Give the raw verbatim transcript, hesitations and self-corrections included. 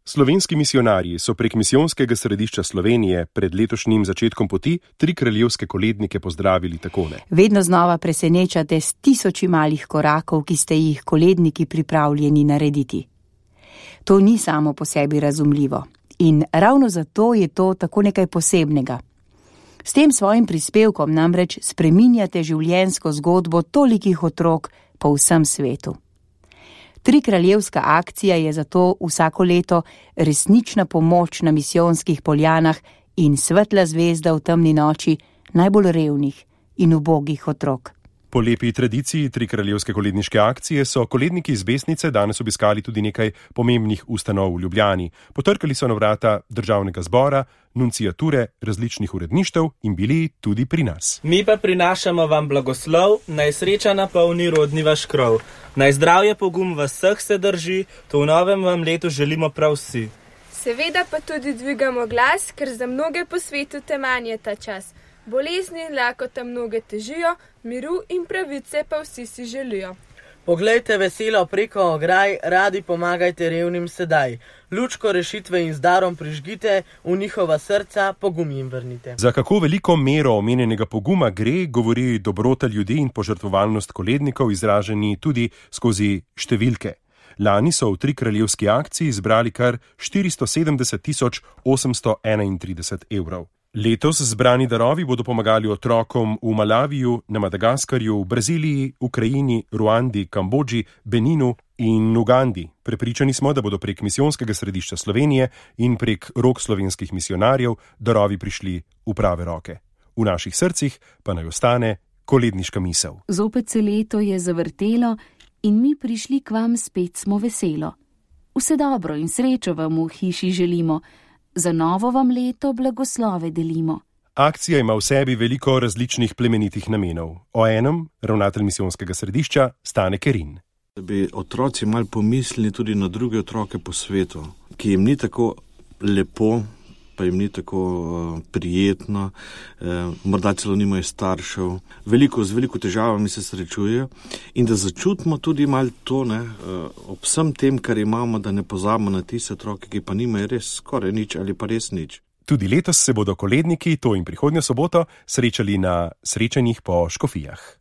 Slovenski misijonarji so prek Misijonskega središča Slovenije pred letošnjim začetkom poti tri kraljevske kolednike pozdravili takole. Vedno znova presenečate s tisoči malih korakov, ki ste jih koledniki pripravljeni narediti. To ni samo po sebi razumljivo in ravno zato je to tako nekaj posebnega. S tem svojim prispevkom namreč spreminjate življenjsko zgodbo tolikih otrok po vsem svetu. Tri kraljevska akcija je zato vsako leto resnična pomoč na misijonskih poljanah in svetla zvezda v temni noči najbolj revnih in ubogih otrok. Po lepi tradiciji tri kraljevske koledniške akcije so koledniki iz Besnice danes obiskali tudi nekaj pomembnih ustanov v Ljubljani. Potrkali so na vrata državnega zbora, nunciature, različnih uredništev in bili tudi pri nas. Mi pa prinašamo vam blagoslov, naj sreča napolni rodni vaš krov. Naj zdravje pogum vas vseh se drži, to v novem vam letu želimo prav vsi. Seveda pa tudi dvigamo glas, ker za mnoge po svetu teman je ta čas. Bolezni in lakota mnoge težijo, miru in pravice pa vsi si želijo. Poglejte veselo preko ograj, radi pomagajte revnim sedaj. Lučko rešitve in z darom prižgite, v njihova srca pogum jim vrnite. Za kako veliko mero omenjenega poguma gre, govori dobrota ljudi in požrtvovalnost kolednikov, izraženi tudi skozi številke. Lani so v tri kraljevski akciji zbrali kar štiristo sedemdeset tisoč osemsto enaintrideset evrov. Letos zbrani darovi bodo pomagali otrokom v Malaviju, na Madagaskarju, v Braziliji, Ukrajini, Ruandi, Kambodži, Beninu in Ugandi. Prepričani smo, da bodo prek Misijonskega središča Slovenije in prek rok slovenskih misijonarjev darovi prišli v prave roke. V naših srcih pa naj ostane koledniška misel. Zopet se leto je zavrtelo in mi prišli k vam spet smo veselo. Vse dobro in srečo vam v hiši želimo. Za novo vam leto blagoslove delimo. Akcija ima v sebi veliko različnih plemenitih namenov. O enem ravnatelj Misijonskega središča Stane Kerin. Da bi otroci malo pomislili tudi na druge otroke po svetu, ki jim ni tako lepo, pa jim ni tako uh, prijetno, uh, morda celo nimajo staršev. Veliko, z veliko težavami se srečujejo in da začutimo tudi malo to, ne, uh, ob vsem tem, kar imamo, da ne pozabimo na tiste otroke, ki pa nimajo res skoraj nič ali pa res nič. Tudi letos se bodo koledniki, to in prihodnjo soboto, srečali na srečanjih po škofijah.